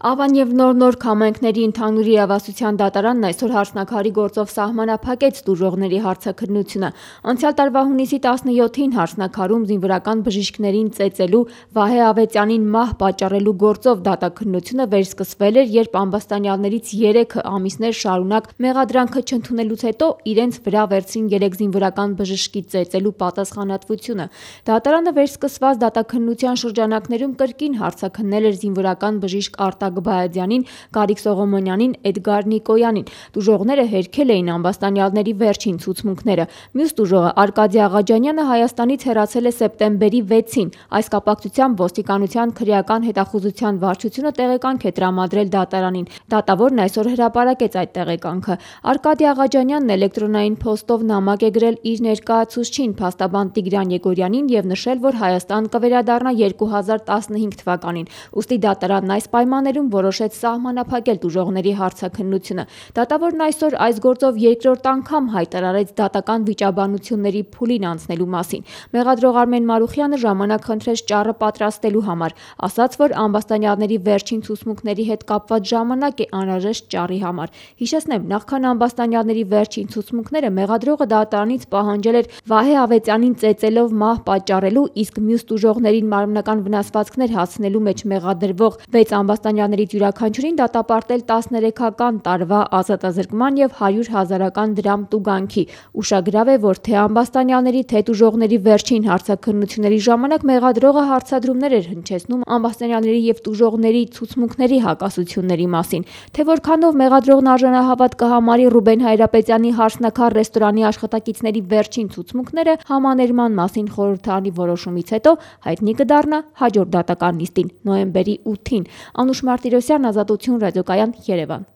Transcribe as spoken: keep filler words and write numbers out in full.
Ավան և նոր-նոր համայնքների ընդհանուր իրավասության դատարանն այսօր հարցնաքարի գործով սահմանափակեց տուժողների հարցաքննությունը։ Անցյալ տարվա հունիսի տասնյոթին հարցնաքարում զինվորական բժիշկներին ծեծելու, Վահե Ավետյանին մահ պատճառելու գործով դատաքննությունը վերսկսվել էր, երբ ամբաստանյալներից երեքը ամիսներ շարունակ մեղադրանքը չընդունելուց հետո իրենց վրա վերցրին երեք զինվորական բժշկի ծեծելու պատասխանատվությունը։ Դատարանը վերսկսված դատաքննության շրջանակներում կրկին հարցաքննել էր զինվորական բժիշկ Արտակ Բայազյանին, Գարիկ Սողոմոնյանին, Էդգար Նիկոյանին։ Տուժողները հերքել էին ամբաստանյալների վերջին ցուցմունքները։ Մյուս տուժողը Արկադի Աղաջանյանը Հայաստանից հեռացել է սեպտեմբերի վեցին։ Այս կապակցությամբ ոստիկանության քրեական հետախուզության վարչությունը տեղեկանք է տրամադրել դատարանին։ Դատավորն այսօր հրապարակեց այդ տեղեկանքը։ Արկադի Աղաջանյանն էլեկտրոնային փոստով նամակ է գրել իր ներկայացուցչին փաստաբան Տիգրան Եգորյանին եւ նշել, որ Հայաստան կվերադառնա երկու հազար տասնհինգ թվականին։ Ուստի դատարանն այս պայմաններում որոշեց սահմանափակել տուժողների հարցաքննությունը։ Դատավորն այսօր այս գործով երկրորդ անգամ հայտարարեց դատական վիճաբանությունների փուլին անցնելու մասին։ Մեղադրող Արմեն Մարուխյանը ժամանակ խնդրեց ճառը պատրաստելու համար, ասաց, որ ամբաստանյալների վերջին ցուցմունքների հետ կապված ժամանակ է անհրաժեշտ ճառի համար։ Հիշեցնեմ, նախքան ամբաստանյալների վերջին ցուցմունքները մեղադրողը դատարանից պահանջել էր Վահե Ավետյանին ծեծելով մահ պատճառելու, իսկ մյուս տուժողներին մարմնական վնասվածքներ հասցնելու մեջ մեղադրվող վեց ամբաստանյալներից յուրաքանչյուրին դատապարտել տասներեքական տարվա ազատազրկման և հարյուր հազարական դրամ տուգանքի։ Ուշագրավ է, որ թե ամբաստանյալների, թե տուժողների վերջին հարցաքննությունների ժամանակ մեղադրողը հարցադրումներ էր հնչեցնում ամբաստանյալների և տուժողների ցուցմունքների հակասությունների մասին։ Թե որքանով մեղադրողն արժանահավատ կհամարի Ռուբեն Հայրապետյանի հարցնաքար ռեստորանի աշխատակիցների վերջին ցուցմունքները, համաներման մասին խորհրդարանի որոշումից հետո հայտնի կդառնա հաջորդ դատական նիստին՝ նոյեմբերի ութին։ Անուշ Մարտիրոսյան, Ազատություն, ռադիոկայան, Երևան։